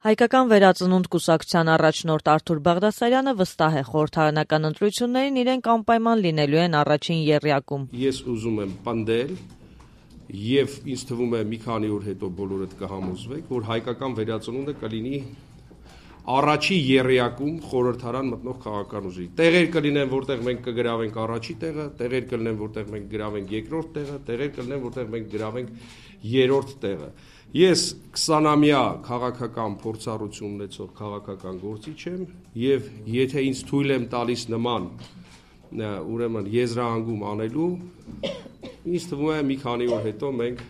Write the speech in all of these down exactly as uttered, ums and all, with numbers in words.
Հայկական վերածնունդ կուսակցության առաջնորդ Արթուր Բաղդասարյանը վստահ է, խորհրդարանական ընտրություններին իրենք անպայման լինելու են առաջին եռյակում։ Ես ուզում եմ պնդել եւ ինձ թվում է մի քանի օր հետո բոլորդ կհամոզվեք, որ հայկական վերածնունդը կլինի առաջի եռյակում խորհրդարան մտնող քաղաքական ուժի։ Տեղեր կլինեն, որտեղ մենք կգրավենք առաջի տեղը, տեղեր կլինեն, որտեղ մենք գրավենք երկրորդ տեղը, տեղեր կլինեն, որտեղ մենք գրավենք երրորդ տեղը։ Ես քսանամյա քաղաքական փորձառություն ունեցող քաղաքական գործիչ եմ եւ եթե ինձ թույլ եմ տալիս նման ուրեմն եզրահանգում անելու, ինձ թվում է մի քանի օր հետո մենք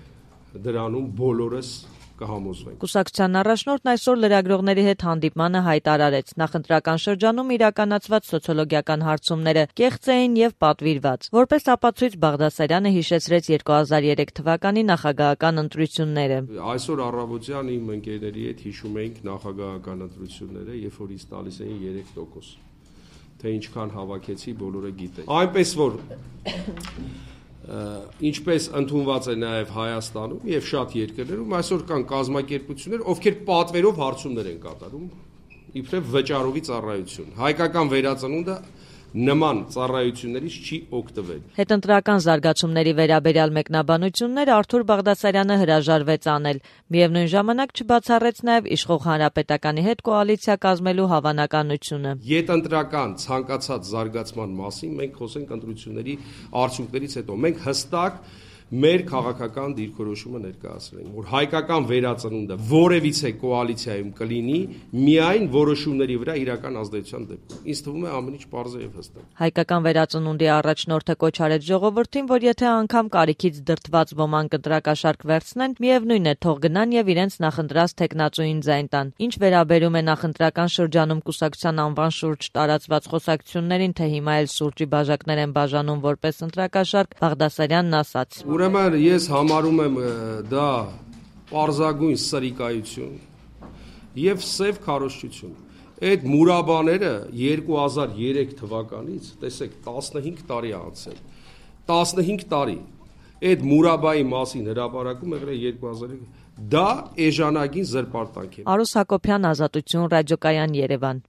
դրանում բոլորս կհամոզվենք։ Կուսակցության առաջնորդն այսօր լրագրողների հետ հանդիպմանը հայտարարեց, նախընտրական շրջանում իրականացված սոցիոլոգիական հարցումները կեղծ էին եւ պատվիրված։ Որպես ապացույց Բաղդասարյանը հիշեցրեց երկու հազար երեք թվականի նախագահական ընտրությունները։ Այսօր առավոտյան իմ ընկերների հետ հիշում էինք նախագահական ընտրությունները, երբ որ ինձ տալիս էին երեք տոկոս, թե ինչքան հավաքեցի, բոլորը գիտեն։ Այնպես որ ինչպես ընդունված է նաև Հայաստանում եւ շատ երկրներում այսօր կան կազմակերպություններ, ովքեր պատվերով հարցումներ են կատարում, իբրև վճարովի ծառայություն։ Հայկական վերածնունդը նման ծառայություններից չի օգտվել։ Հետընտրական զարգացումների վերաբերյալ մեկնաբանություններ Արթուր Բաղդասարյանը հրաժարվեց անել, միևնույն ժամանակ չբացառեց նաև իշխող հանրապետականի հետ կոալիցիա կազմելու հավանականությունը։ Հետընտրական ցանկացած զարգացման մասին մենք խոսենք ընտրությունների արդյունքներից հետո։ Մենք հստակ մեր քաղաքական դիրքորոշումը ներկայացրել ենք, որ հայկական վերածնունդը որևիցե կոալիցիայում կլինի միայն որոշումների վրա իրական ազդեցության դեպքում։ Ինձ թվում է ամեն ինչ պարզ է եւ հստակ։ Հայկական վերածնունդի առաջնորդը կոչ արեց ժողովրդին, որ եթե անգամ կարիքից դրդված ոմանք ընտրակաշարք վերցնեն, միևնույն է թող գնան եւ իրենց նախընտրած թեկնածուին ձայն տան։ Ինչ վերաբերում է նախընտրական շրջանում կուսակցության անվան շուրջ տարածված խոսակցություններին, թե հիմա էլ սուրճի բաժակներ են բաժանում որպես ընտրակաշարք, Բաղդասարյանն ասաց. Ուրեմն ես համարում եմ դա պարզագույն սրիկայություն եւ սև քարոզչություն։ Այդ մուրաբաները երկու հազար երեք թվականից, տեսեք, տասնհինգ տարի անցել։ տասնհինգ տարի։ Այդ մուրաբայի մասին հրապարակում եղել է երկու հազար երեք։ Դա էժանագին զրպարտանք է։ Արուս Հակոբյան, Ազատություն, ռադիոկայան, Երևան։